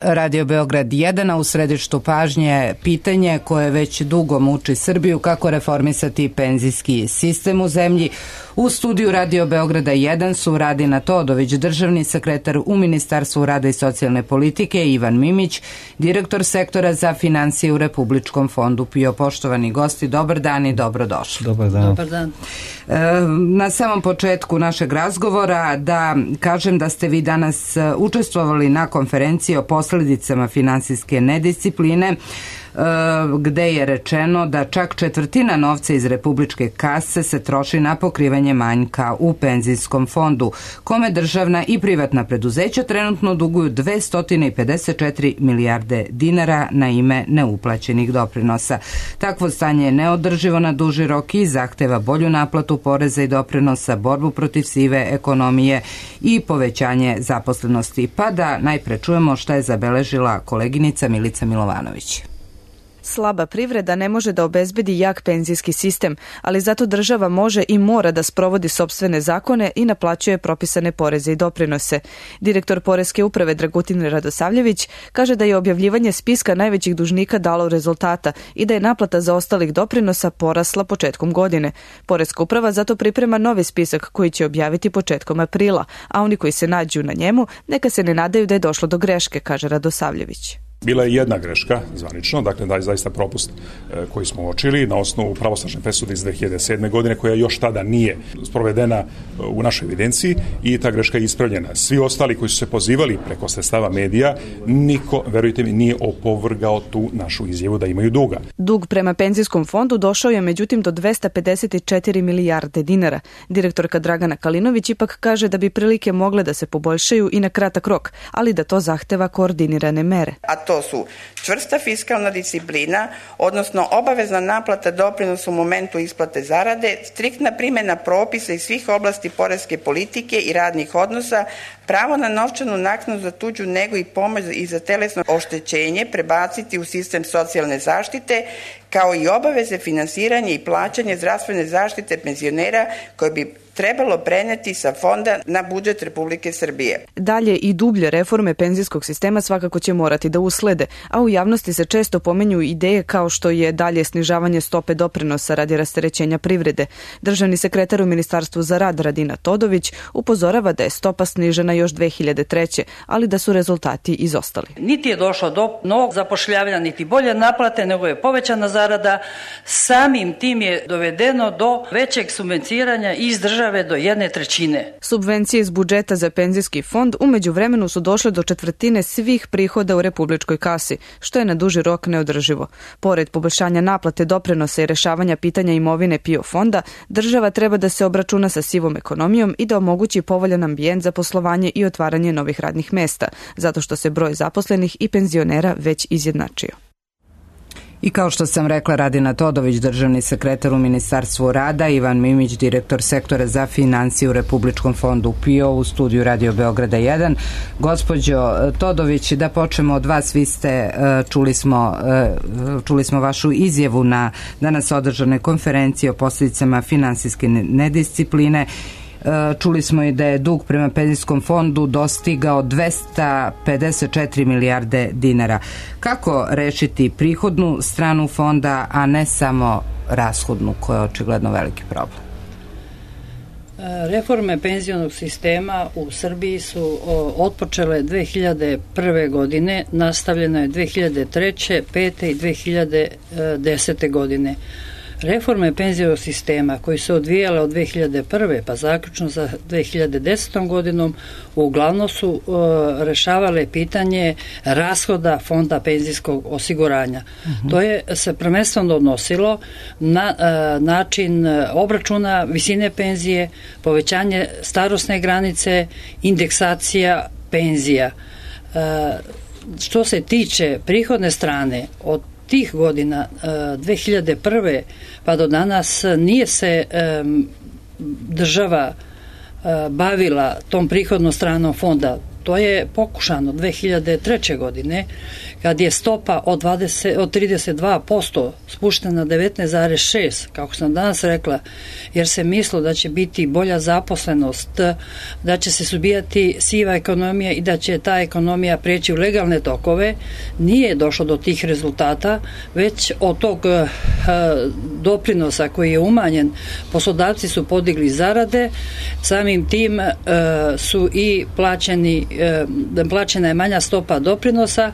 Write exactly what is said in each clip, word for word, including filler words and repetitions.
Radio Beograd jedan, a u središtu pažnje pitanje koje već dugo muči Srbiju, kako reformisati penzijski sistem u zemlji. U studiju Radio Beograda jedan su Radina Todović, državni sekretar u Ministarstvu rada i socijalne politike, i Ivan Mimić, direktor sektora za finansije u Republičkom fondu P I O. Poštovani gosti, dobar dan i dobrodošli. Dobar dan. Dobar dan. Na samom početku našeg razgovora da kažem da ste vi danas učestvovali na konferenciji o posljedicama finansijske nediscipline, gde je rečeno da čak četvrtina novca iz republičke kase se troši na pokrivanje manjka u penzijskom fondu, kome državna i privatna preduzeća trenutno duguju dvesta pedeset četiri milijarde dinara na ime neuplaćenih doprinosa. Takvo stanje je neodrživo na duži rok i zahteva bolju naplatu poreza i doprinosa, borbu protiv sive ekonomije i povećanje zaposlenosti. Pa da najpre čujemo šta je zabeležila koleginica Milica Milovanović. Slaba privreda ne može da obezbedi jak penzijski sistem, ali zato država može i mora da sprovodi sopstvene zakone i naplaćuje propisane poreze i doprinose. Direktor Poreske uprave Dragutin Radosavljević kaže da je objavljivanje spiska najvećih dužnika dalo rezultata i da je naplata za ostalih doprinosa porasla početkom godine. Poreska uprava zato priprema novi spisak koji će objaviti početkom aprila, a oni koji se nađu na njemu neka se ne nadaju da je došlo do greške, kaže Radosavljević. Bila je jedna greška, zvanično, dakle da je zaista propust e, koji smo uočili na osnovu pravosnažne presude iz dve hiljade sedme. godine, koja još tada nije sprovedena u našoj evidenciji, i ta greška je ispravljena. Svi ostali koji su se pozivali preko sredstava medija, niko, verujte mi, nije opovrgao tu našu izjavu da imaju duga. Dug prema penzijskom fondu došao je međutim do dvesta pedeset četiri milijarde dinara. Direktorka Dragana Kalinović ipak kaže da bi prilike mogle da se poboljšaju i na kratak rok, ali da to zahteva koordinirane mere. To su čvrsta fiskalna disciplina, odnosno obavezna naplata doprinosa u momentu isplate zarade, striktna primjena propisa iz svih oblasti poreske politike i radnih odnosa, pravo na novčanu naknadu za tuđu negu i pomoć i za telesno oštećenje prebaciti u sistem socijalne zaštite, kao i obaveze finansiranja i plaćanja zdravstvene zaštite penzionera koje bi trebalo preneti sa fonda na budžet Republike Srbije. Dalje i dublje reforme penzijskog sistema svakako će morati da uslede, a u javnosti se često pomenju ideje kao što je dalje snižavanje stope doprinosa radi rasterećenja privrede. Državni sekretar u Ministarstvu za rad Radina Todović upozorava da je stopa snižena još dve hiljade treće. ali da su rezultati izostali. Niti je došlo do novog zapošljavanja, niti bolje naplate, nego je povećana zarada. Samim tim je dovedeno do većeg subvencioniranja iz države do jedne trećine. Subvencije iz budžeta za penzijski fond u međuvremenu su došle do četvrtine svih prihoda u republičkoj kasi, što je na duži rok neodrživo. Pored poboljšanja naplate doprinosa i rešavanja pitanja imovine P I O fonda, država treba da se obračuna sa sivom ekonomijom i da omogući povoljan ambijent za poslovanje i otvaranje novih radnih mesta, zato što se broj zaposlenih i penzionera već izjednačio. I kao što sam rekla, Radina Todović, državni sekretar u Ministarstvu rada, Ivan Mimić, direktor sektora za finansije u Republičkom fondu P I O, u studiju Radio Beograda jedan. Gospođo Todović, da počnemo od vas. Vi ste, čuli smo, čuli smo vašu izjavu na danas održanoj konferenciji o posljedicama finansijske nediscipline. Čuli smo i da je dug prema penzijskom fondu dostigao dvesta pedeset četiri milijarde dinara. Kako rešiti prihodnu stranu fonda, a ne samo rashodnu, koja je očigledno veliki problem? Reforme penzionog sistema u Srbiji su otpočele dve hiljade prve. godine, nastavljeno je dve hiljade treće, pete i dve hiljade desete. godine. Reforme penzijskog sistema koji se odvijale od dve hiljade prve. pa zaključno za dve hiljade desetom. godinom uglavnom su uh, rešavale pitanje rashoda fonda penzijskog osiguranja. Uh-huh. To je se prvenstveno odnosilo na uh, način obračuna visine penzije, povećanje starosne granice, indeksacija penzija. Uh, što se tiče prihodne strane, od tih godina, dve hiljade prve. pa do danas nije se um, država uh, bavila tom prihodnom stranom fonda. To je pokušano dve hiljade treće. godine, kad je stopa od, dvadeset, od trideset dva posto spuštena na devetnaest zarez šest, kako sam danas rekla, jer se mislilo da će biti bolja zaposlenost, da će se suzbijati siva ekonomija i da će ta ekonomija prijeći u legalne tokove. Nije došlo do tih rezultata, već od tog uh, doprinosa koji je umanjen, poslodavci su podigli zarade, samim tim uh, su i plaćeni, uh, plaćena je manja stopa doprinosa,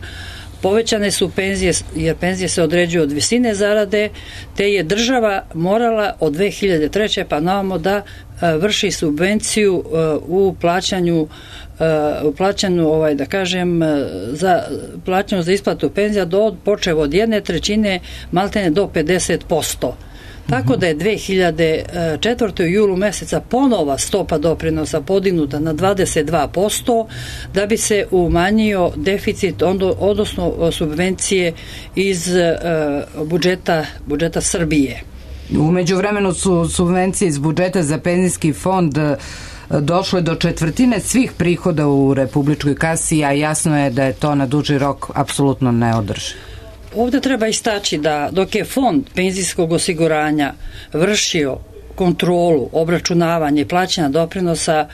povećane su penzije, jer penzije se određuju od visine zarade, te je država morala od dve hiljade treće. pa navamo da uh, vrši subvenciju uh, u plaćanju uh, u plaćanju, ovaj, da kažem, uh, za plaćanju za isplatu penzija do počev od jedne trećine maltene do pedeset posto. Tako da je dve hiljade četvrte. u julu meseca ponova stopa doprinosa podignuta na dvadeset dva posto da bi se umanjio deficit, odnosno subvencije iz budžeta, budžeta Srbije. U međuvremenu su subvencije iz budžeta za penzijski fond došlo je do četvrtine svih prihoda u republičkoj kasi, a jasno je da je to na duži rok apsolutno neodrživo. Ovdje treba istaći da dok je fond penzijskog osiguranja vršio kontrolu, obračunavanje i plaćanja doprinosa,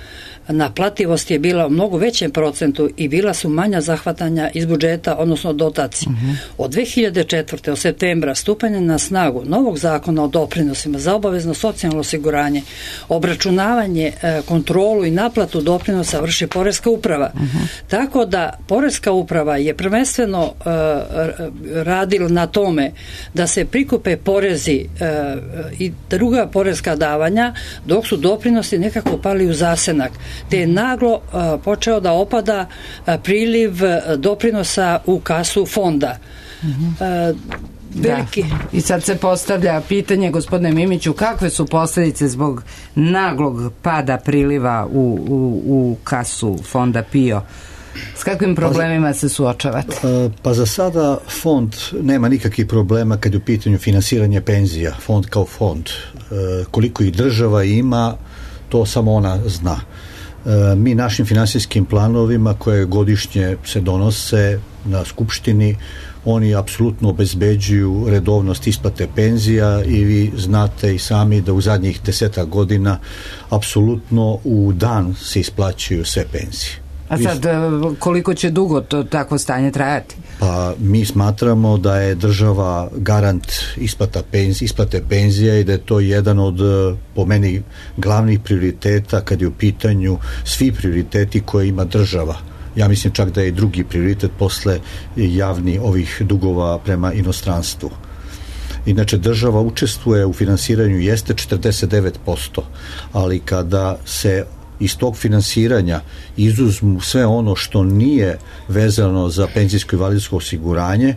naplativost je bila u mnogo većem procentu i bila su manja zahvatanja iz budžeta, odnosno dotacije. Uh-huh. Od dve hiljade četvrte. od septembra stupanja na snagu novog zakona o doprinosima za obavezno socijalno osiguranje, obračunavanje, kontrolu i naplatu doprinosa vrši Poreska uprava. Uh-huh. Tako da Poreska uprava je prvenstveno uh, radila na tome da se prikupe porezi uh, i druga poreska davanja, dok su doprinosi nekako pali u zasenak, te je naglo uh, počeo da opada uh, priliv uh, doprinosa u kasu fonda. Mm-hmm. Uh, veliki... Da. I sad se postavlja pitanje, gospodine Mimiću, kakve su posljedice zbog naglog pada priliva u, u, u kasu fonda P I O? S kakvim problemima se suočavate? Pa za sada fond nema nikakvih problema kad je u pitanju finansiranje penzija, fond kao fond. Koliko ih država ima, to samo ona zna. Mi našim finansijskim planovima koje godišnje se donose na skupštini, oni apsolutno obezbeđuju redovnost isplate penzija i vi znate i sami da u zadnjih desetak godina apsolutno u dan se isplaćuju sve penzije. A sad, koliko će dugo to takvo stanje trajati? Pa mi smatramo da je država garant isplata penzije, isplate penzija i da je to jedan od, po meni, glavnih prioriteta kad je u pitanju svi prioriteti koje ima država. Ja mislim čak da je drugi prioritet posle javni ovih dugova prema inostranstvu. Inače, država učestvuje u finansiranju jeste četrdeset devet posto, ali kada se iz tog finansiranja izuzmu sve ono što nije vezano za penzijsko i invalidsko osiguranje,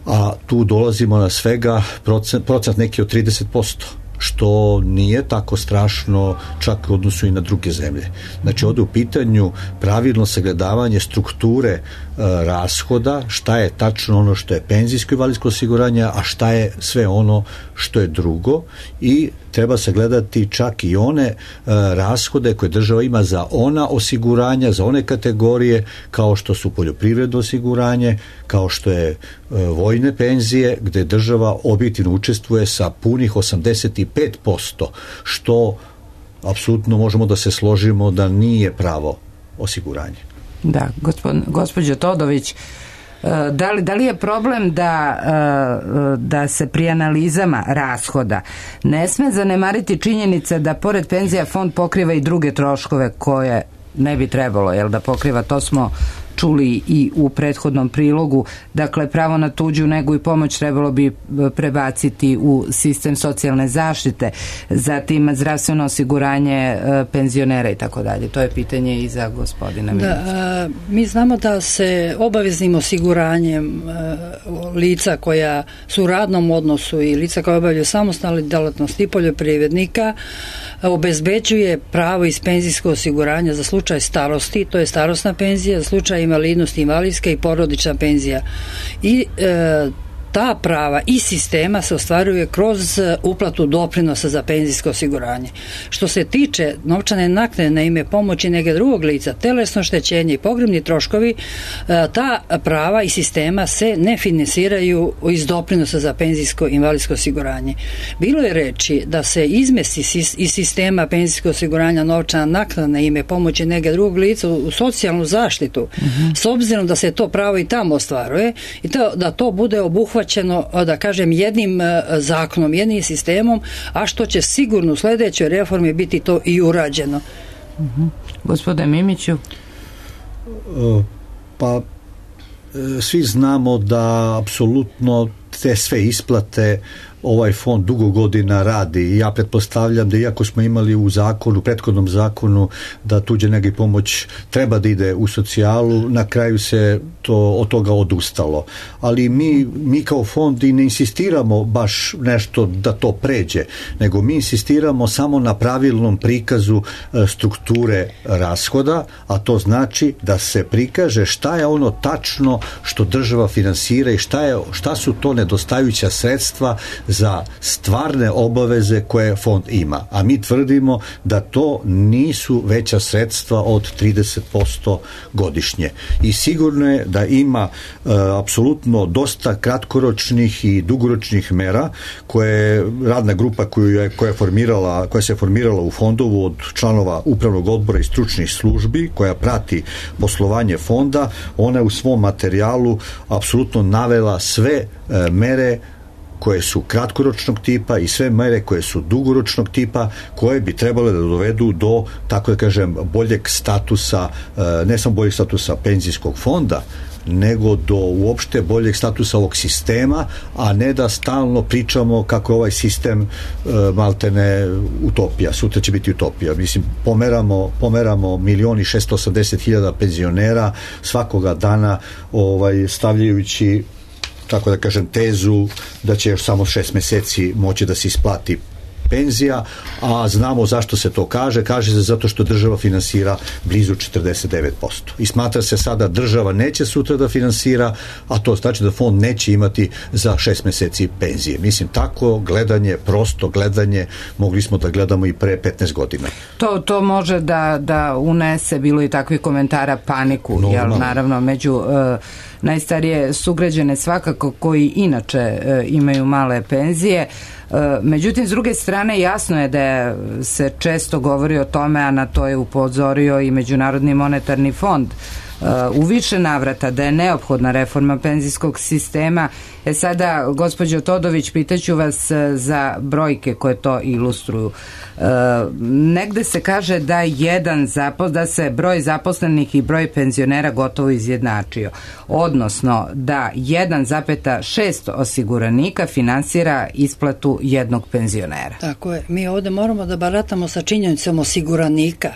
a tu dolazimo na svega procent, procent neki od trideset posto, što nije tako strašno čak u odnosu i na druge zemlje. Znači, ovdje u pitanju pravilno sagledavanje strukture e, rashoda, šta je tačno ono što je penzijsko i invalidsko osiguranje, a šta je sve ono što je drugo, i treba sagledati čak i one e, rashode koje država ima za ona osiguranja, za one kategorije kao što su poljoprivredno osiguranje, kao što je e, vojne penzije, gde država objektivno učestvuje sa punih osamdeset pet posto, što apsolutno možemo da se složimo da nije pravo osiguranje. Da, gospod, gospođo Todović, da li, da li je problem da, da se pri analizama rashoda ne sme zanemariti činjenica da pored penzija fond pokriva i druge troškove koje ne bi trebalo, jel da pokriva, to smo čuli i u prethodnom prilogu. Dakle, pravo na tuđu negu i pomoć trebalo bi prebaciti u sistem socijalne zaštite, zatim zdravstveno osiguranje penzionera i tako dalje. To je pitanje i za gospodina Mimića. Da, mi znamo da se obaveznim osiguranjem lica koja su u radnom odnosu i lica koja obavljaju samostalne djelatnosti i poljoprivrednika obezbeđuje pravo iz penzijskog osiguranja za slučaj starosti, to je starosna penzija, za slučaj invalidnosti, invalidska i porodična penzija. I e, ta prava i sistema se ostvaruje kroz uplatu doprinosa za penzijsko osiguranje. Što se tiče novčane naknade na ime pomoći nege drugog lica, telesno oštećenje i pogrebni troškovi, ta prava i sistema se ne finansiraju iz doprinosa za penzijsko i invalidsko osiguranje. Bilo je reči da se izmesti iz sistema penzijskog osiguranja novčana naknada na ime pomoći nege drugog lica u socijalnu zaštitu, mm-hmm. s obzirom da se to pravo i tamo ostvaruje i to, da to bude obuhvaćeno, da kažem, jednim zakonom, jednim sistemom, a što će sigurno u sledećoj reformi biti to i urađeno. Mm-hmm. Gospode Mimiću? Pa svi znamo da apsolutno te sve isplate ovaj fond dugo godina radi i ja pretpostavljam da iako smo imali u zakonu, u prethodnom zakonu da tuđe nega pomoć treba da ide u socijalu, na kraju se to od toga odustalo. Ali mi, mi kao fond i ne insistiramo baš nešto da to pređe, nego mi insistiramo samo na pravilnom prikazu strukture rashoda, a to znači da se prikaže šta je ono tačno što država finansira i šta, je, šta su to nedostajuća sredstva za stvarne obaveze koje fond ima. A mi tvrdimo da to nisu veća sredstva od trideset posto godišnje. I sigurno je da ima e, apsolutno dosta kratkoročnih i dugoročnih mera koje radna grupa koju je, koja, je formirala, koja se formirala u fondovu od članova upravnog odbora i stručnih službi koja prati poslovanje fonda, ona je u svom materijalu apsolutno navela sve e, mere koje su kratkoročnog tipa i sve mere koje su dugoročnog tipa, koje bi trebale da dovedu do, tako da kažem, boljeg statusa, ne samo boljeg statusa penzijskog fonda, nego do uopšte boljeg statusa ovog sistema, a ne da stalno pričamo kako je ovaj sistem e, maltene utopija, sutra će biti utopija. Mislim, pomeramo, pomeramo milion i šesto osamdeset hiljada penzionera svakoga dana, ovaj, stavljajući, tako da kažem, tezu da će još samo šest meseci moći da se isplati penzija, a znamo zašto se to kaže. Kaže se zato što država finansira blizu četrdeset devet posto. I smatra se sada država neće sutra da finansira, a to znači da fond neće imati za šest meseci penzije. Mislim, tako gledanje, prosto gledanje, mogli smo da gledamo i pre petnaest godina. To, to može da, da unese, bilo i takvih komentara, paniku, no, jel, naravno, među uh, najstarije sugrađane svakako koji inače uh, imaju male penzije. Međutim, s druge strane, jasno je da se često govori o tome, a na to je upozorio i Međunarodni monetarni fond u više navrata, da je neophodna reforma penzijskog sistema. E sada, gospođo Todović, pitaću vas za brojke koje to ilustruju. E, negde se kaže da jedan zapos, da se broj zaposlenih i broj penzionera gotovo izjednačio. Odnosno, da jedan zarez šest osiguranika finansira isplatu jednog penzionera. Tako je. Mi ovde moramo da baratamo sa činjenicom osiguranika.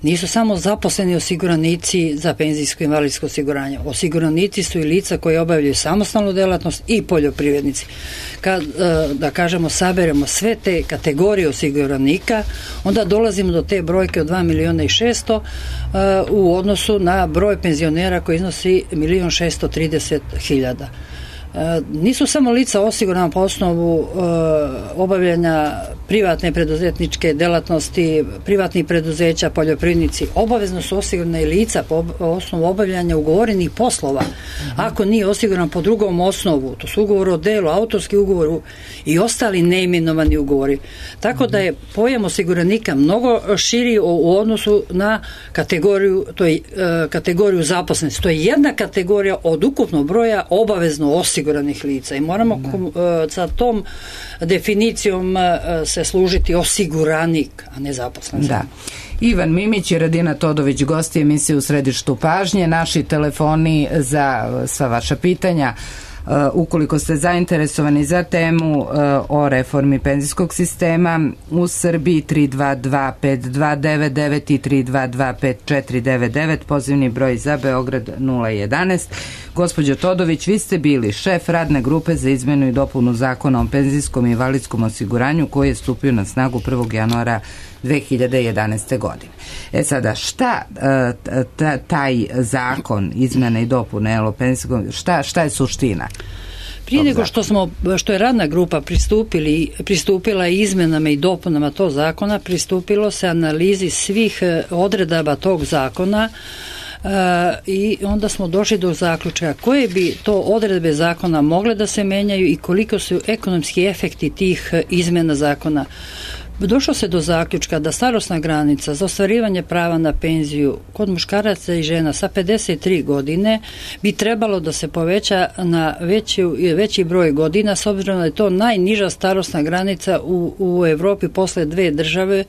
Nisu samo zaposleni osiguranici za penzijsko i invalidsko osiguranje. Osiguranici su i lica koji obavljaju samostalnu delatnost i poljoprivrednici. Kad, da kažemo, saberemo sve te kategorije osiguranika, onda dolazimo do te brojke od dva miliona i šesto u odnosu na broj penzionera koji iznosi milion šesto trideset hiljada. Nisu samo lica osigurana po osnovu e, obavljanja privatne preduzetničke delatnosti, privatnih preduzeća, poljoprivrednici, obavezno su osigurana i lica po osnovu obavljanja ugovorenih poslova. Ako nije osiguran po drugom osnovu, to su ugovor o delu, autorski ugovor i ostali neimenovani ugovori. Tako da je pojam osiguranika mnogo širi u, u odnosu na kategoriju, to je, e, kategoriju zaposlenosti. To je jedna kategorija od ukupnog broja obavezno osiguranih osiguranih lica i moramo uh, sa tom definicijom uh, se služiti osiguranik, a ne zaposlen. Da. Ivan Mimić i Radina Todović, gosti emisije U središtu pažnje. Naši telefoni za sva vaša pitanja. Uh, ukoliko ste zainteresovani za temu uh, o reformi penzijskog sistema u Srbiji, tri dva dva pet dva devet devet i tri dva dva pet četiri devet devet, pozivni broj za Beograd nula jedanaest. Gospođo Todović, vi ste bili šef radne grupe za izmenu i dopunu zakona o penzijskom i invalidskom osiguranju koji je stupio na snagu prvog januara dve hiljade jedanaeste. godine. E sada, šta taj zakon izmene i dopune o penzijskom, šta, šta je suština? Prije nego što smo, što je radna grupa pristupili, pristupila izmenama i dopunama tog zakona, pristupilo se analizi svih odredaba tog zakona. Uh, i onda smo došli do zaključka koje bi to odredbe zakona mogle da se menjaju i koliko su ekonomski efekti tih izmena zakona. Došlo se do zaključka da starosna granica za ostvarivanje prava na penziju kod muškaraca i žena sa pedeset tri godine bi trebalo da se poveća na veći, veći broj godina, s obzirom da je to najniža starosna granica u, u Evropi posle dve države e,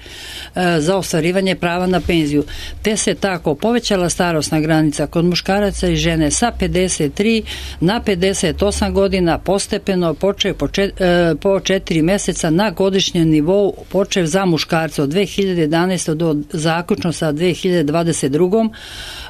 za ostvarivanje prava na penziju. Te se tako povećala starosna granica kod muškaraca i žene sa pedeset tri na pedeset osam godina postepeno počeo po, čet, e, po četiri meseca na godišnjem nivou počev za muškarce od dve hiljade jedanaeste. do zaključno sa dve hiljade dvadeset druge.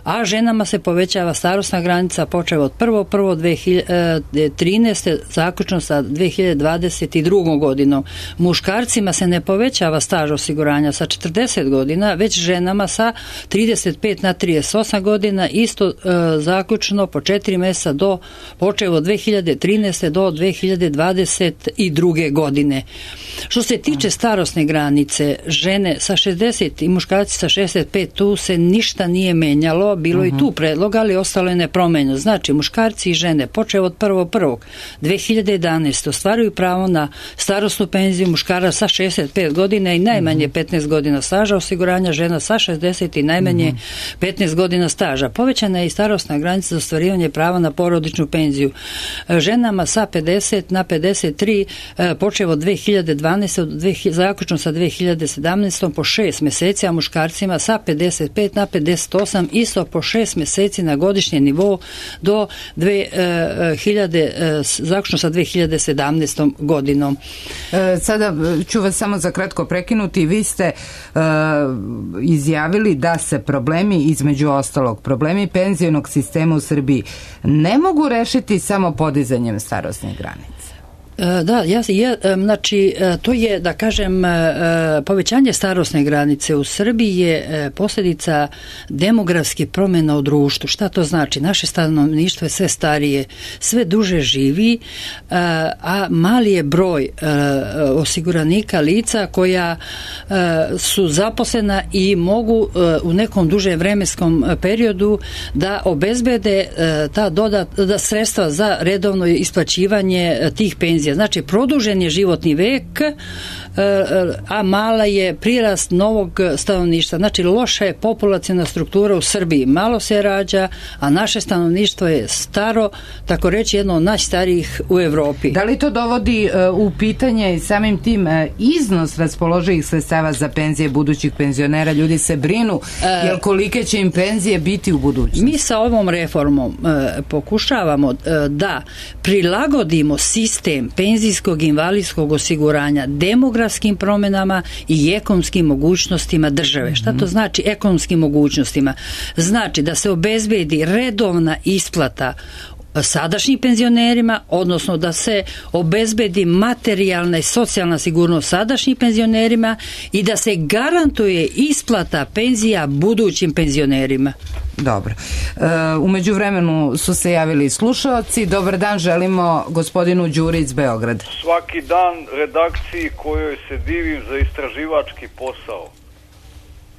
a ženama se povećava starosna granica počev od prvog prvog dve hiljade trinaeste. zaključno sa dve hiljade dvadeset druge. godinom. Muškarcima se ne povećava staž osiguranja sa četrdeset godina, već ženama sa trideset pet na trideset osam godina, isto e, zaključno po četiri mjeseca do počev od dve hiljade trinaeste. do dve hiljade dvadeset druge. godine. Što se tiče starosne granice, žene sa šezdeset i muškarci sa šezdeset pet, tu se ništa nije menjalo, bilo uh-huh. i tu predloga, ali ostalo je nepromenjeno. Znači, muškarci i žene počev od prvog prvog dve hiljade jedanaeste. ostvaruju pravo na starosnu penziju muškara sa šezdeset pet godina i najmanje uh-huh. petnaest godina staža osiguranja, žena sa šezdeset i najmanje uh-huh. petnaest godina staža. Povećana je i starosna granica za ostvarivanje prava na porodičnu penziju. Ženama sa pedeset na pedeset tri počev od dve hiljade dvanaeste. zaključno sa dve hiljade sedamnaeste. po šest mjeseci, a muškarcima sa pedeset pet na pedeset osam isto po šest mjeseci na godišnje nivou do dve hiljade, zaključno sa dve hiljade sedamnaestom. godinom. E, sada ću vas samo za kratko prekinuti. Vi ste e, izjavili da se problemi, između ostalog, problemi penzionog sistema u Srbiji ne mogu rešiti samo podizanjem starosne granice. Da, ja, ja, znači, to je, da kažem, povećanje starosne granice u Srbiji je posljedica demografskih promjena u društvu. Šta to znači? Naše stanovništvo je sve starije, sve duže živi, a mali je broj osiguranika lica koja su zaposlena i mogu u nekom dužem vremenskom periodu da obezbede ta dodat, da sredstva za redovno isplaćivanje tih penzija. Znači, produžen je životni vek, a mala je prirast novog stanovništva. Znači, loša je populaciona struktura u Srbiji. Malo se rađa, a naše stanovništvo je staro, tako reći jedno od najstarijih u Evropi. Da li to dovodi u pitanje i samim tim iznos raspoloživih sredstava za penzije budućih penzionera? Ljudi se brinu, jer kolike će im penzije biti u budućnosti? Mi sa ovom reformom pokušavamo da prilagodimo sistem penzijskog i invalidskog osiguranja demografskim promjenama i ekonomskim mogućnostima države. Šta to znači ekonomskim mogućnostima? Znači da se obezbedi redovna isplata sadašnjim penzionerima, odnosno da se obezbedi materijalna i socijalna sigurnost sadašnjim penzionerima i da se garantuje isplata penzija budućim penzionerima. Dobro. E, u međuvremenu su se javili slušalci. Dobar dan, želimo gospodinu Đuri iz Beograda. Svaki dan redakciji kojoj se divim za istraživački posao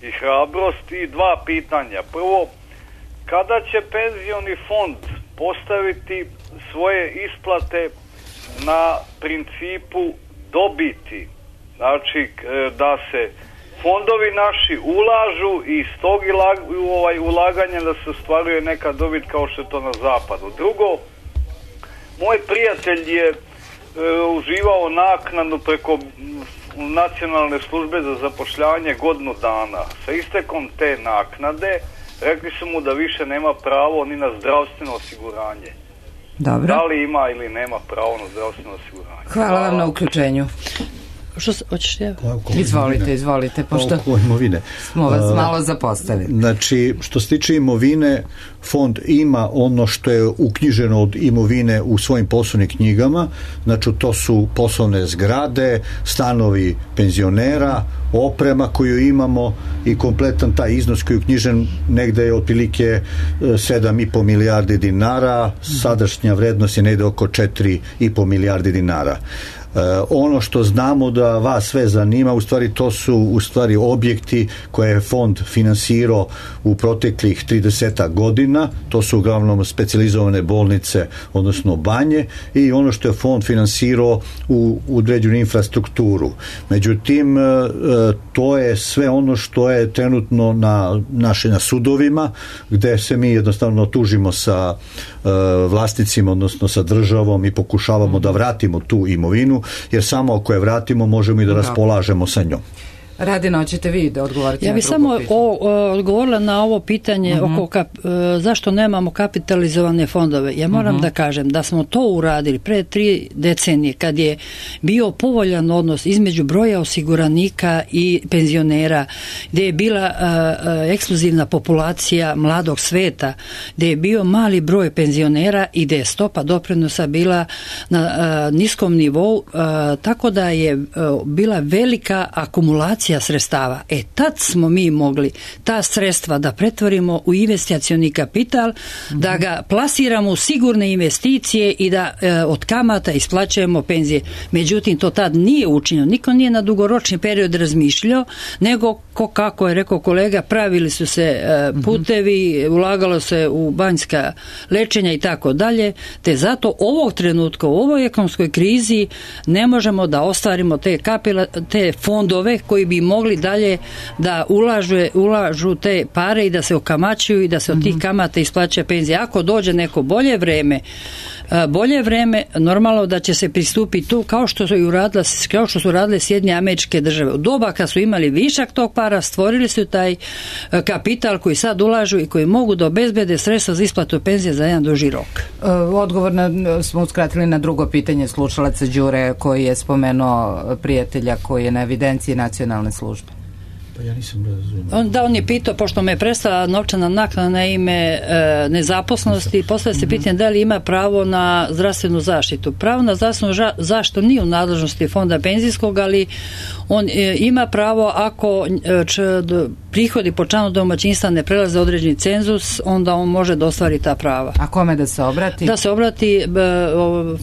i hrabrost i dva pitanja. Prvo, kada će penzioni fond postaviti svoje isplate na principu dobiti? Znači, da se fondovi naši ulažu i iz tog ovaj, ulaganja da se ostvaruje neka dobit kao što je to na zapadu. Drugo, moj prijatelj je e, uživao naknadu preko Nacionalne službe za zapošljavanje godinu dana. Sa istekom te naknade rekli su mu da više nema pravo ni na zdravstveno osiguranje. Dobro. Da li ima ili nema pravo na zdravstveno osiguranje? Hvala, Hvala vam na uključenju. Što se, hoćeš ja? Izvolite, izvolite, pošto imovine. Smo vas malo zapostavili. Znači, što se tiče imovine, fond ima ono što je uknjiženo od imovine u svojim poslovnim knjigama, znači to su poslovne zgrade, stanovi penzionera, oprema koju imamo i kompletan taj iznos koji je uknjižen negde je otprilike sedam i po milijardi dinara, sadašnja vrednost je negde oko četiri i po milijardi dinara. Uh, ono što znamo da vas sve zanima, u stvari to su u stvari objekti koje je fond finansirao u proteklih trideset godina, to su uglavnom specijalizovane bolnice, odnosno banje, i ono što je fond finansirao u određenu infrastrukturu. Međutim, uh, to je sve ono što je trenutno na, naše, na sudovima, gde se mi jednostavno tužimo sa uh, vlasnicima, odnosno sa državom i pokušavamo da vratimo tu imovinu, jer samo ako je vratimo možemo i da raspolažemo sa njom. Radina, hoćete vi da odgovorite? Ja bih samo o, o, odgovorila na ovo pitanje uh-huh. oko kap, e, zašto nemamo kapitalizovane fondove. Ja moram uh-huh. da kažem da smo to uradili pre tri decenije kad je bio povoljan odnos između broja osiguranika i penzionera, gde je bila a, a, ekskluzivna populacija mladog sveta, gde je bio mali broj penzionera i gde je stopa doprinosa bila na a, niskom nivou, a, tako da je a, bila velika akumulacija sredstava. E tad smo mi mogli ta sredstva da pretvorimo u investicioni kapital, mm-hmm. da ga plasiramo u sigurne investicije i da e, od kamata isplaćujemo penzije. Međutim, to tad nije učinjeno. Niko nije na dugoročni period razmišljao, nego ko, kako je rekao kolega, pravili su se e, putevi, ulagalo se u banjska lečenja i tako dalje, te zato ovog trenutka u ovoj ekonomskoj krizi ne možemo da ostvarimo te, kapila, te fondove koji bi mogli dalje da ulažu, ulažu te pare i da se okamaćuju i da se od tih kamata isplaća penzije. Ako dođe neko bolje vreme, bolje vreme, normalno da će se pristupiti tu kao što su i uradile, kao što su radile Sjedinjene Američke Države. U doba kad su imali višak tog para, stvorili su taj kapital koji sad ulažu i koji mogu da obezbede sredstva za isplatu penzije za jedan duži rok. Odgovor na, smo uskratili na drugo pitanje slušalaca Đure koji je spomenuo prijatelja koji je na evidenciji nacionalne službe. Pa ja nisam razumio. On, da, on je pitao, pošto me je prestala novčana naknada na ime e, nezaposlenosti, postavlja se pitanje da li ima pravo na zdravstvenu zaštitu. Pravo na zdravstvenu ža, zaštitu nije u nadležnosti fonda penzijskog, ali on e, ima pravo ako e, č, d, prihodi po članu domaćinstva ne prelaze određeni cenzus, onda on može da ostvari ta prava. A kome da se obrati? Da se obrati e,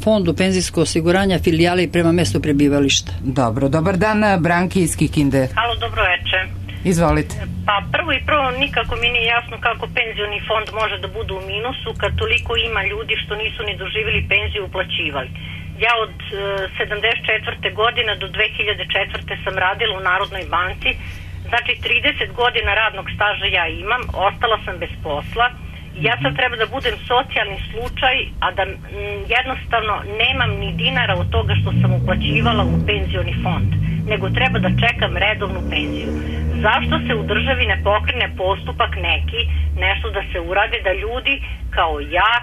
fondu penzijskog osiguranja filijali prema mestu prebivališta. Dobro, dobar dan, Branki iz Kikinde. Halo, dobro večer. Izvolite. Pa prvo i prvo nikako mi nije jasno kako penzioni fond može da bude u minusu kad toliko ima ljudi što nisu ni doživjeli penziju uplaćivali. Ja od e, sedamdeset četvrte godine do dve hiljade četvrte sam radila u Narodnoj banci, znači trideset godina radnog staža ja imam, ostala sam bez posla. Ja sad treba da budem socijalni slučaj, a da m, jednostavno nemam ni dinara od toga što sam uplaćivala u penzioni fond, nego treba da čekam redovnu penziju. Zašto se u državi ne pokrene postupak neki, nešto da se urade, da ljudi kao ja,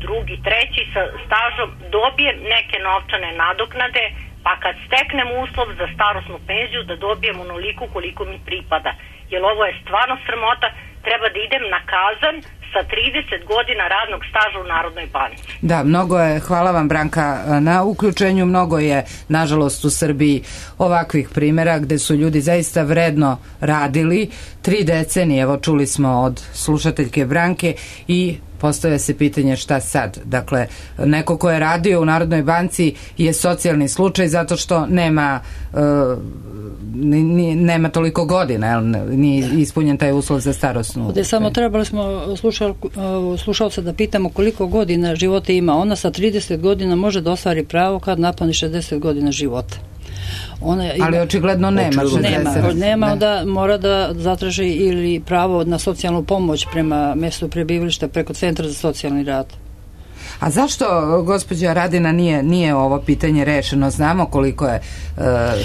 drugi, treći sa stažom dobije neke novčane nadoknade, pa kad steknem uslov za starosnu penziju da dobijem onoliko koliko mi pripada. Jer ovo je stvarno sramota, treba da idem na kazan sa trideset godina radnog staža u Narodnoj banci. Da, mnogo je, hvala vam Branka na uključenju, mnogo je nažalost u Srbiji ovakvih primjera gde su ljudi zaista vredno radili tri decenije, evo čuli smo od slušateljke Branke i postavlja se pitanje šta sad. Dakle, neko ko je radio u Narodnoj banci je socijalni slučaj zato što nema uh, ni, nema toliko godina, jel, nije ispunjen taj uslov za starosnu. Ovdje samo trebali smo slušal, slušalca da pitamo koliko godina života ima. Ona sa trideset godina može da ostvari pravo kad napuni šezdeset godina života. Ona ima, ali očigledno nema šezdeset. Nema, nema ne. Da mora da zatraži ili pravo na socijalnu pomoć prema mjestu prebivališta preko Centra za socijalni rad. A zašto, gospođa Radina, nije, nije ovo pitanje rešeno? Znamo koliko je uh,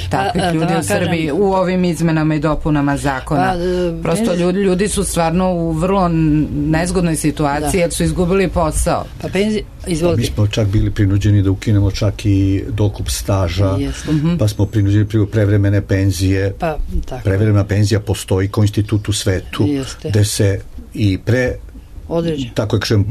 takvih a, a, ljudi da, u Srbiji kažem, u ovim izmenama i dopunama zakona. A, Prosto ljudi, ljudi su stvarno u vrlo nezgodnoj situaciji, da, jer su izgubili posao. Pa penzi, izvolite. Mi smo čak bili prinuđeni da ukinemo čak i dokup staža, Jeste. pa smo prinuđeni prevremene penzije. Pa, tako. Prevremena penzija postoji kao institut u svetu, Jeste. gde se i pre određen. Tako je kažem,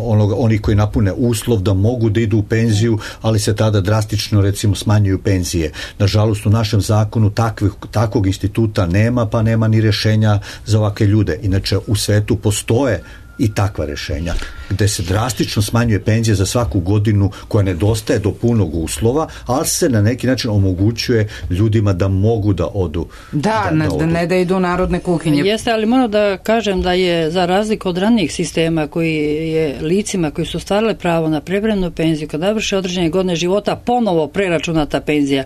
onog, oni koji napune uslov da mogu da idu u penziju, ali se tada drastično recimo smanjuju penzije. Nažalost u našem zakonu takvih, takvog instituta nema, pa nema ni rešenja za ovakve ljude. Inače u svetu postoje i takva rešenja gde se drastično smanjuje penzija za svaku godinu koja nedostaje do punog uslova, ali se na neki način omogućuje ljudima da mogu da odu. Da, da, ne, da, odu. ne da idu u narodne kuhinje. Jeste, ali moram da kažem da je za razliku od ranijih sistema koji je licima koji su ostvarile pravo na prevremenu penziju kad navrše određene godine života ponovo preračunata penzija.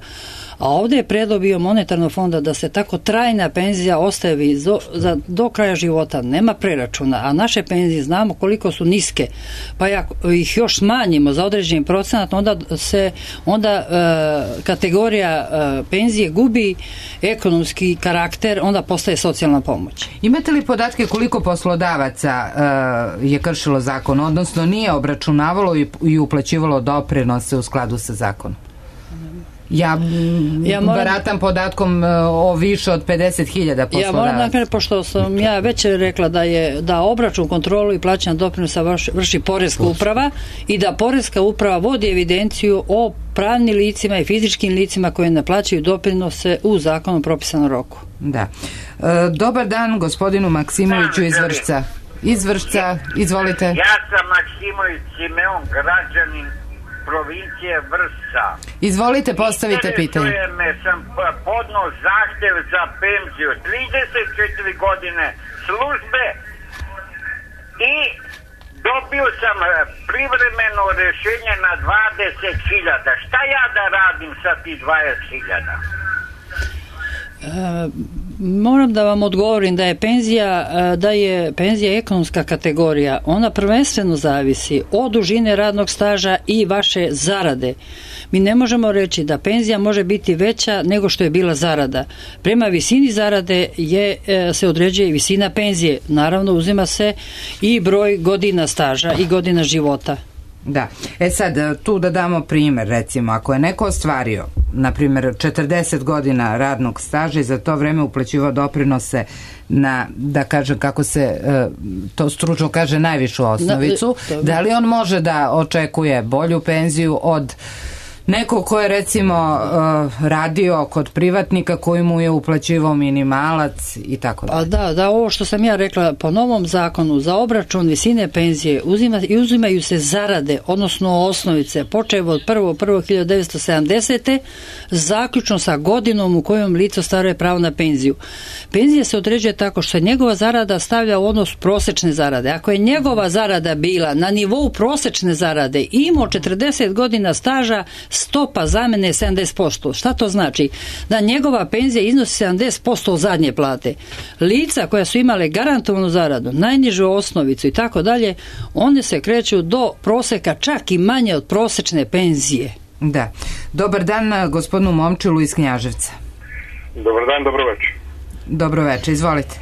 A ovdje je predlog bio monetarnog fonda da se tako trajna penzija ostavi do, za, do kraja života, nema preračuna, a naše penzije znamo koliko su niske, pa ako ih još smanjimo za određeni procenat, onda se onda e, kategorija e, penzije gubi ekonomski karakter, onda postaje socijalna pomoć. Imate li podatke koliko poslodavaca e, je kršilo zakon, odnosno nije obračunavalo i, i uplaćivalo doprinose u skladu sa zakonom? Ja, ja moram, baratam podatkom o više od pedeset hiljada poslodavaca. Ja moram da kažem, pošto sam ja već rekla da je da obračun, kontrolu i plaćanje doprinosa vrši, vrši Poreska uprava i da Poreska uprava vodi evidenciju o pravnim licima i fizičkim licima koje ne plaćaju doprinose u zakonom propisanom roku. Da. E, dobar dan gospodinu Maksimoviću iz Vršca. Iz Vršca, izvolite. Ja sam Maksimović Simeon, građanin provincije Vršca. Izvolite, postavite pitanje. Interesuje me, sam podno zahtev za penziju, trideset četiri godine službe i dobio sam privremeno rešenje na dvadeset hiljada. Šta ja da radim sa ti dvadeset hiljada? E, moram da vam odgovorim da je penzija da je penzija ekonomska kategorija. Ona prvenstveno zavisi od dužine radnog staža i vaše zarade. Mi ne možemo reći da penzija može biti veća nego što je bila zarada. Prema visini zarade je, se određuje visina penzije. Naravno uzima se i broj godina staža i godina života. Da. E sad, tu da damo primjer, recimo, ako je neko ostvario, na primjer, četrdeset godina radnog staža i za to vreme uplaćivao doprinose na, da kažem kako se to stručno kaže, najvišu osnovicu, da li on može da očekuje bolju penziju od neko ko je recimo uh, radio kod privatnika koji mu je uplaćivao minimalac i tako dalje. A da, da, ovo što sam ja rekla, po novom zakonu za obračun visine penzije uzima, uzimaju se zarade, odnosno osnovice, počev od prvog prvog hiljadu devetsto sedamdesete zaključno sa godinom u kojom lice ostvaruje pravo na penziju. Penzija se određuje tako što se njegova zarada stavlja u odnos prosečne zarade. Ako je njegova zarada bila na nivou prosečne zarade i imao četrdeset godina staža, stopa zamene je sedamdeset posto. Šta to znači? Da njegova penzija iznosi sedamdeset posto zadnje plate. Lica koja su imale garantovanu zaradu, najnižu osnovicu i tako dalje, one se kreću do proseka čak i manje od prosečne penzije. Da. Dobar dan gospodinu Momčilu iz Knjaževca. Dobar dan, dobro večer. Dobro večer, izvolite.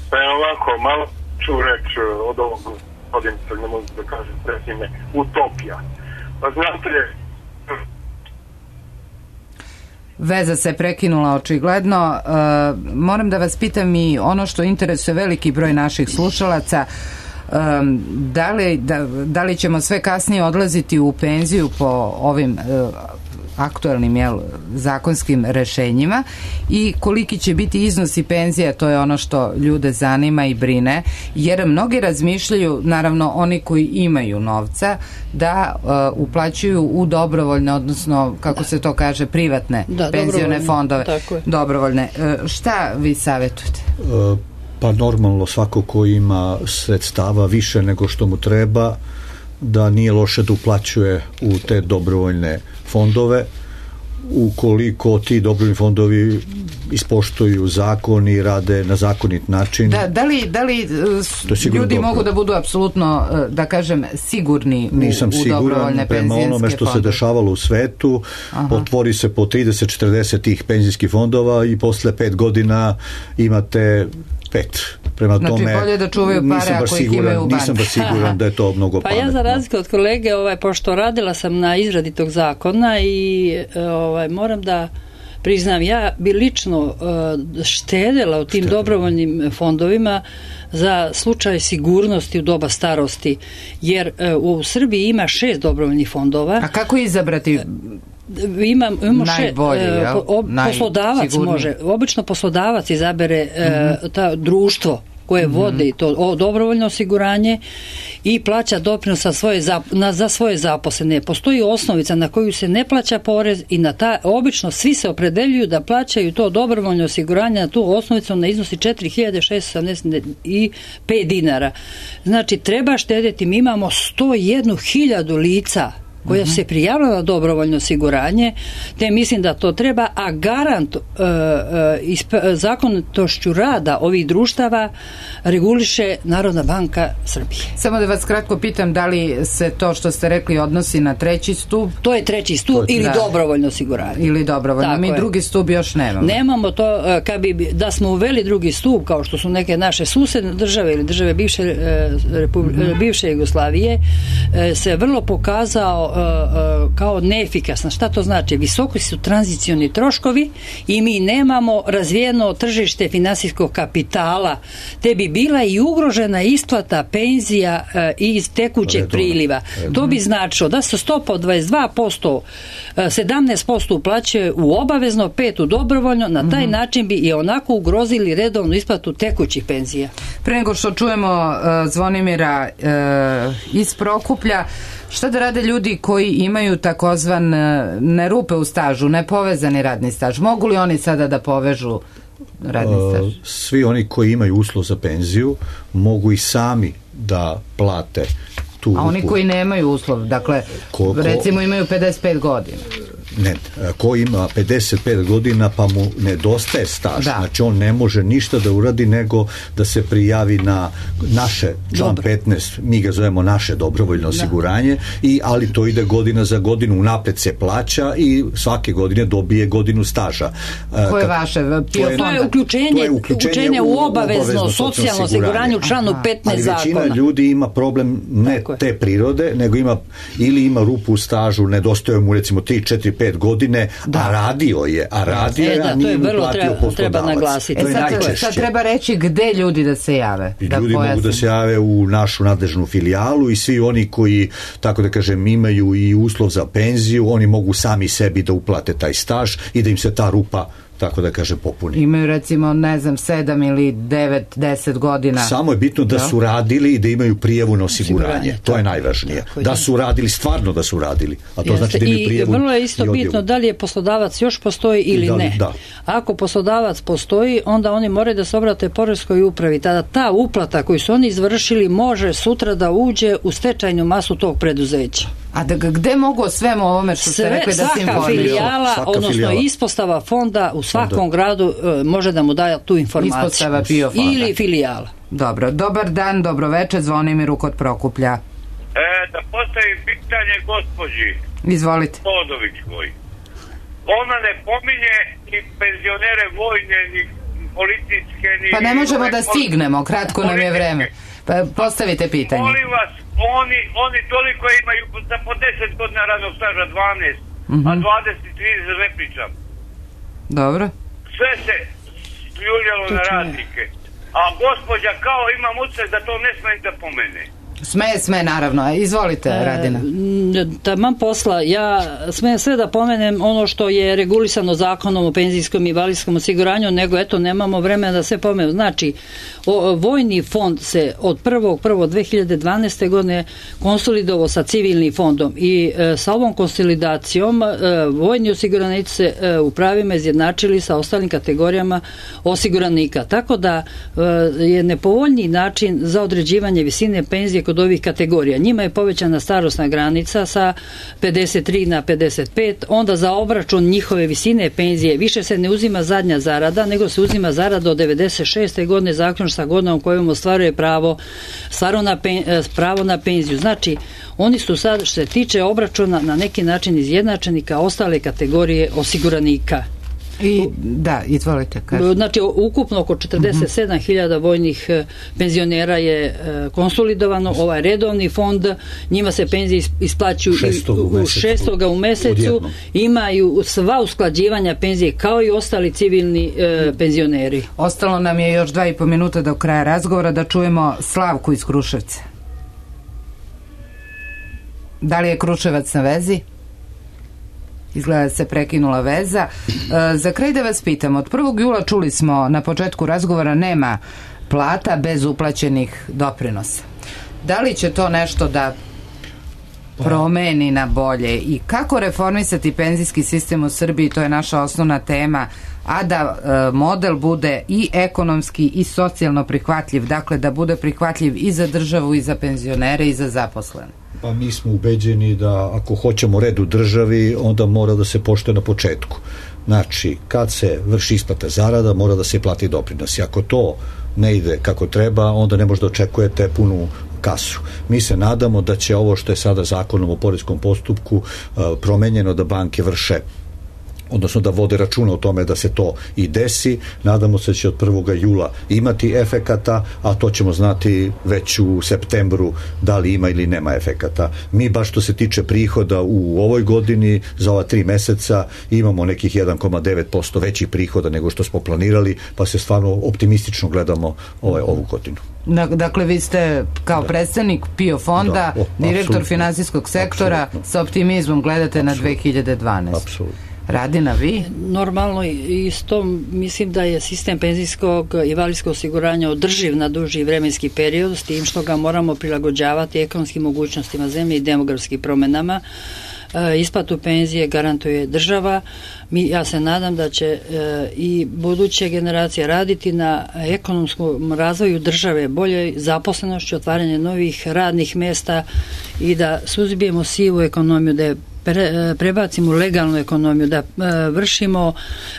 Pa je ovako, malo ću reći od ovog gospodinca, ne mogu da kažem prezime, utopija. Pa znate, veza se prekinula očigledno. E, moram da vas pitam i ono što interesuje veliki broj naših slušalaca, e, da, li, da, da li ćemo sve kasnije odlaziti u penziju po ovim e, aktualnim jel, zakonskim rešenjima i koliki će biti iznosi penzija, to je ono što ljude zanima i brine, jer mnogi razmišljaju, naravno oni koji imaju novca, da uh, uplaćuju u dobrovoljne, odnosno kako se to kaže, privatne da, penzione fondove. Tako dobrovoljne. Uh, šta vi savjetujete? Uh, pa normalno svako ko ima sredstava više nego što mu treba, da nije loše da uplaćuje u te dobrovoljne fondove. ukoliko ti dobrovoljni fondovi ispoštuju zakon i rade na zakonit način. Da, da li, da li ljudi dobro. Mogu da budu apsolutno, da kažem, sigurni u, Nisam u dobrovoljne penzijske fondove? Nisam siguran prema onome što fondove. Se dešavalo u svetu. Aha. Otvori se po trideset četrdeset tih penzijskih fondova i posle pet godina imate pet. Prema znači, tome, bolje da čuvaju pare ako ih imaju u banci. Nisam baš siguran da je to mnogo pa pametno. Pa ja za razliku od kolege, ovaj, pošto radila sam na izradi tog zakona i ovaj, moram da priznam, ja bi lično uh, štedela u tim Štedela. dobrovoljnim fondovima za slučaj sigurnosti u doba starosti, jer uh, u Srbiji ima šest dobrovoljnih fondova. A kako izabrati Ima, imamo najbolji, še, jel? ob, poslodavac može, obično poslodavac izabere mm-hmm. uh, ta društvo koje mm-hmm. vode to o, dobrovoljno osiguranje i plaća doprinos za svoje, zap, na, za svoje zaposlene. Postoji osnovica na koju se ne plaća porez i na ta, obično svi se opredeljuju da plaćaju to dobrovoljno osiguranje na tu osnovicu na iznosi četiri hiljade šessto sedamdeset pet dinara. Znači, treba štedeti, mi imamo sto jednu hiljadu lica koja se prijavila na dobrovoljno osiguranje, te mislim da to treba, a garant uh, uh, zakonitošću rada ovih društava reguliše Narodna banka Srbije. Samo da vas kratko pitam, da li se to što ste rekli odnosi na treći stup? To je treći stup ili da. dobrovoljno osiguranje. Ili dobrovoljno. Tako Mi je. drugi stup još nemamo. Nemamo to, uh, kad bi, da smo uveli drugi stup, kao što su neke naše susedne države ili države bivše, uh, Republi- mm-hmm. bivše Jugoslavije, uh, se vrlo pokazao kao neefikasna. Šta to znači? Visoki su tranzicioni troškovi i mi nemamo razvijeno tržište finansijskog kapitala, te bi bila i ugrožena isplata penzija iz tekućeg priliva. To bi značilo da se stopa od dvadeset dva posto, sedamnaest posto uplaćuje u obavezno, pet u dobrovoljno, na taj mm-hmm. način bi i onako ugrozili redovnu isplatu tekućih penzija. Pre nego što čujemo uh, Zvonimira uh, iz Prokuplja, šta da rade ljudi koji imaju takozvan ne rupe u stažu, nepovezani radni staž? Mogu li oni sada da povežu radni staž? Uh, svi oni koji imaju uslov za penziju mogu i sami da plate tu rupu. A oni koji nemaju uslov, dakle, ko, ko, recimo imaju pedeset pet godina. Ne, ko ima pedeset pet godina pa mu nedostaje staž, da. Znači on ne može ništa da uradi nego da se prijavi na naše, član Dobro. petnaest, mi ga zovemo naše dobrovoljno osiguranje, i, ali to ide godina za godinu, unapred se plaća i svake godine dobije godinu staža. Koje je vaše? To je, to je uključenje, to je uključenje u obavezno, obavezno socijalno osiguranje u članu petnaest zakona. Ali većina ljudi ima problem ne te prirode, nego ima ili ima rupu u stažu, nedostaje mu recimo tri četiri pet godine, da. a radio je, a radio je, e, da, a nije mu platio treba, poslodavac. Treba naglasiti. To je sad, najčešće. Sad treba reći gde ljudi da se jave. I da ljudi pojasnim. mogu da se jave u našu nadležnu filijalu i svi oni koji, tako da kažem, imaju i uslov za penziju, oni mogu sami sebi da uplate taj staž i da im se ta rupa, tako da kaže, popuni. Imaju recimo, ne znam, sedam ili devet, deset godina. Samo je bitno da, da su radili i da imaju prijavu na osiguranje. To je najvažnije. Da su radili, stvarno da su radili. A to Jeste. znači da imaju prijavu. I vrlo je isto bitno da li je poslodavac još postoji ili da li, ne. Da. Ako poslodavac postoji, onda oni moraju da se obrate poreskoj upravi. Tada ta uplata koju su oni izvršili može sutra da uđe u stečajnu masu tog preduzeća. A da, gde mogu o svemu ovome što ste rekli da se informiraju? Filijala, svaka odnosno filijala. Ispostava fonda u svakom Fonda. gradu uh, može da mu daje tu informaciju. Ispostava bio fonda. Ili filijala. Dobro, dobar dan, dobroveče, Zvonimiru kod Prokuplja. E, da postavim pitanje gospođi. Izvolite. Todovićkoj. Ona ne pominje ni penzionere vojne, ni policijske, ni... Pa ne možemo da stignemo, kratko nam je vreme. Pa postavite pitanje. Molim vas, oni, oni toliko imaju za po deset godina radnog staža, dvanaest, mm-hmm. a dvadeset trideset ne pričam. Dobro. Sve se ljuljalo na radnike. A gospođa kao imam utisak da to ne sme da pomene. Sme, sme, naravno. Izvolite, Radina. E, taman posla. Ja smijem sve da pomenem ono što je regulisano zakonom o penzijskom i invalidskom osiguranju, nego eto, nemamo vremena da sve pomenem. Znači, o, vojni fond se od prvog prvog dve hiljade dvanaeste. godine konsolidovao sa civilnim fondom i e, sa ovom konsolidacijom e, vojni osiguranici se e, u pravima izjednačili sa ostalim kategorijama osiguranika. Tako da e, je nepovoljniji način za određivanje visine penzije kod kod ovih kategorija. Njima je povećana starosna granica sa pedeset tri na pedeset pet, onda za obračun njihove visine penzije više se ne uzima zadnja zarada, nego se uzima zarada od devedeset šeste godine zaključno sa godinom kojom ostvaruje pravo, stvarno na pen, pravo na penziju. Znači, oni su sad, što se tiče obračuna, na neki način izjednačeni kao ostale kategorije osiguranika. I, da, izvolite. Kažem. Znači, ukupno oko četrdeset sedam hiljada vojnih penzionera je konsolidovano, ovaj redovni fond, njima se penzije isplaćuju u šestoga u mesecu, imaju sva usklađivanja penzije kao i ostali civilni e, penzioneri. Ostalo nam je još dva i po minuta do kraja razgovora, da čujemo Slavku iz Kruševca. Da li je Kruševac na vezi? Izgleda da se prekinula veza. E, za kraj da vas pitam, od prvog jula čuli smo na početku razgovora nema plata bez uplaćenih doprinosa. Da li će to nešto da promeni na bolje i kako reformisati penzijski sistem u Srbiji, to je naša osnovna tema, a da e, model bude i ekonomski i socijalno prihvatljiv, dakle da bude prihvatljiv i za državu i za penzionere i za zaposlene? Pa mi smo ubeđeni da ako hoćemo red u državi, onda mora da se poštuje na početku. Znači, kad se vrši isplata zarada, mora da se plati doprinos. I ako to ne ide kako treba, onda ne možda očekujete punu kasu. Mi se nadamo da će ovo što je sada zakonom o poreskom postupku promenjeno, da banke vrše, odnosno da vode računa o tome da se to i desi. Nadamo se da će od prvog jula imati efekata, a to ćemo znati već u septembru da li ima ili nema efekata. Mi baš što se tiče prihoda u ovoj godini, za ova tri meseca imamo nekih jedan zarez devet posto većih prihoda nego što smo planirali, pa se stvarno optimistično gledamo ovaj, ovu godinu. Dakle, vi ste kao predstavnik P I O fonda, da, o, direktor apsolutno, finansijskog sektora, apsolutno, sa optimizmom gledate apsolutno, na dve hiljade dvanaeste. Apsolutno. Radina, vi? Normalno, isto mislim da je sistem penzijskog i invalidskog osiguranja održiv na duži vremenski period, s tim što ga moramo prilagođavati ekonomskim mogućnostima zemlje i demografskim promenama. E, isplatu penzije garantuje država. Mi, ja se nadam da će e, i buduće generacije raditi na ekonomskom razvoju države, boljoj zaposlenošću, otvaranje novih radnih mesta i da suzbijemo sivu ekonomiju, da je Pre, prebacimo legalnu ekonomiju, da e, vršimo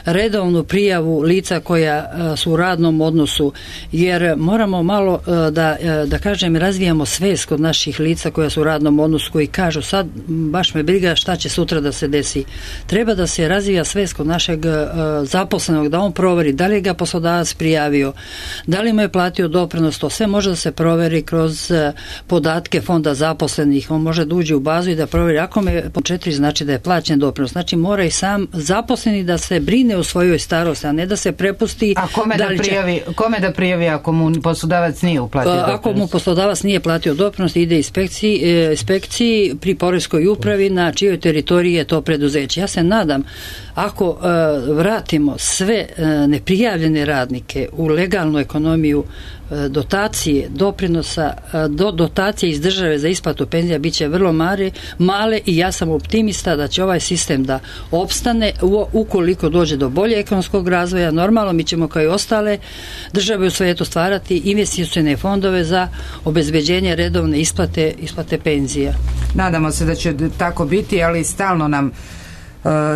redovnu prijavu lica koja e, su u radnom odnosu, jer moramo malo e, da, e, da kažem, razvijamo svest kod naših lica koja su u radnom odnosu, koji kažu sad baš me briga šta će sutra da se desi. Treba da se razvija svest kod našeg e, zaposlenog, da on proveri da li ga poslodavac prijavio, da li mu je platio doprinos, to sve može da se proveri kroz e, podatke fonda zaposlenih. On može da uđe u bazu i da proveri ako me četiri znači da je plaćen doprinos. Znači mora i sam zaposleni da se brine o svojoj starosti, a ne da se prepusti. A kome da, da prijavi, će... kome da prijavi ako mu poslodavac nije uplatio doprinos? Ako mu poslodavac nije platio doprinos, ide inspekciji, inspekciji pri poreskoj upravi na čijoj teritoriji je to preduzeće. Ja se nadam, ako uh, vratimo sve uh, neprijavljene radnike u legalnu ekonomiju, dotacije, doprinosa, do, dotacije iz države za isplatu penzija bit će vrlo male, male i ja sam optimista da će ovaj sistem da opstane u, ukoliko dođe do bolje ekonomskog razvoja. Normalno mi ćemo kao i ostale države u svijetu stvarati investicione fondove za obezbeđenje redovne isplate, isplate penzija. Nadamo se da će tako biti, ali stalno nam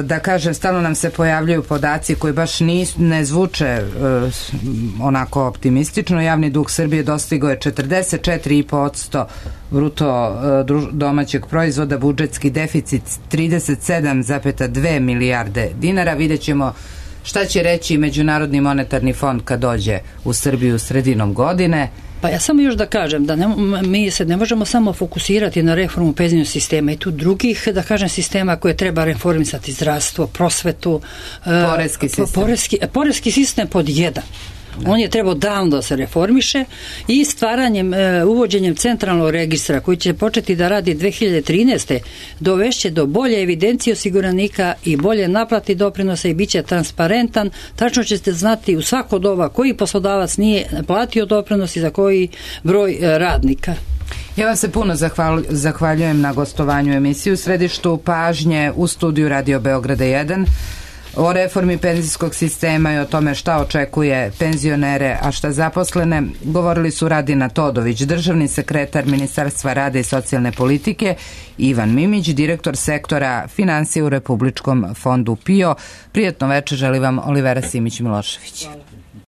da kažem, stalno nam se pojavljaju podaci koji baš nis, ne zvuče uh, onako optimistično. Javni dug Srbije dostigao je četrdeset četiri zarez pet posto bruto uh, domaćeg proizvoda, budžetski deficit trideset sedam zarez dve milijarde dinara. Vidjet ćemo šta će reći Međunarodni monetarni fond kad dođe u Srbiju sredinom godine. Pa ja samo još da kažem da ne, mi se ne možemo samo fokusirati na reformu penzijskog sistema i tu drugih, da kažem, sistema koje treba reformisati: zdravstvo, prosvetu, poreski sistem. Poreski, poreski sistem pod jedan. Da. On je trebao davno da se reformiše i stvaranjem, e, uvođenjem centralnog registra koji će početi da radi dve hiljade trinaeste. dovešće do bolje evidencije osiguranika i bolje naplati doprinosa i bit će transparentan. Tačno ćete znati u svako doba koji poslodavac nije platio doprinos i za koji broj e, radnika. Ja vam se puno zahval, zahvaljujem na gostovanju emisiju u središtu pažnje u studiju Radio Beograda jedan. O reformi penzijskog sistema i o tome šta očekuje penzionere, a šta zaposlene, govorili su Radina Todović, državni sekretar Ministarstva rada i socijalne politike, i Ivan Mimić, direktor sektora financije u Republičkom fondu PIO. Prijetno večer želi vam Olivera Simić-Milošević. Hvala.